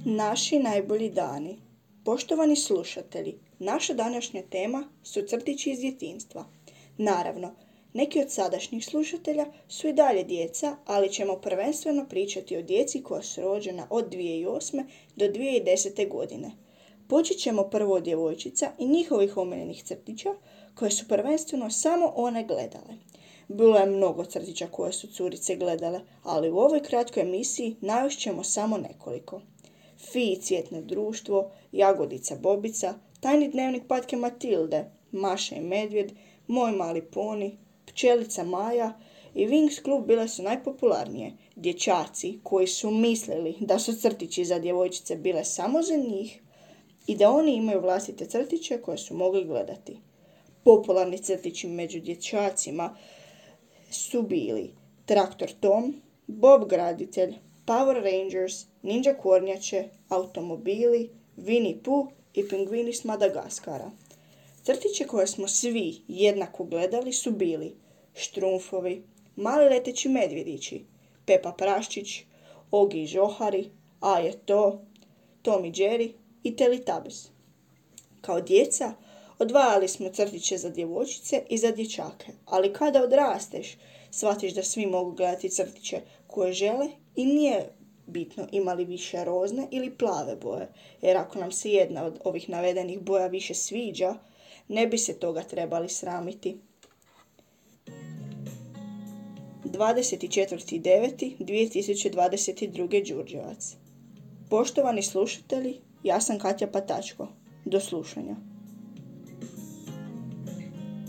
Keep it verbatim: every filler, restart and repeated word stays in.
Naši najbolji dani. Poštovani slušatelji, naša današnja tema su crtići iz djetinjstva. Naravno, neki od sadašnjih slušatelja su i dalje djeca, ali ćemo prvenstveno pričati o djeci koja su rođena od dvije tisuće osme. do dvije tisuće desete. godine. Počet ćemo prvo od djevojčica i njihovih omiljenih crtića, koje su prvenstveno samo one gledale. Bilo je mnogo crtića koje su curice gledale, ali u ovoj kratkoj emisiji navest ćemo samo nekoliko. Fi i cvjetno društvo, Jagodica Bobica, Tajni dnevnik patke Matilde, Maša i medvjed, Moj mali poni, Pčelica Maja i Wings klub bile su najpopularnije. Dječaci koji su mislili da su crtići za djevojčice bile samo za njih i da oni imaju vlastite crtiće koje su mogli gledati. Popularni crtići među dječacima su bili Traktor Tom, Bob Graditelj, Power Rangers, Ninja Kornjače, Automobili, Winnie Pooh i Pingvini s Madagaskara. Crtiće koje smo svi jednako gledali su bili Štrumfovi, Mali leteći medvjedići, Pepa Praščić, Ogi i Žohari, A je to, Tom i Jerry i Teletubbies. Kao djeca odvajali smo crtiće za djevojčice i za dječake, ali kada odrasteš, shvatiš da svi mogu gledati crtiće koje žele i nije bitno imali više rozne ili plave boje, jer ako nam se jedna od ovih navedenih boja više sviđa, ne bi se toga trebali sramiti. dvadeset četvrti deveti dvije tisuće dvadeset druge. Đurđevac. Poštovani slušatelji, ja sam Katja Patačko. Do slušanja.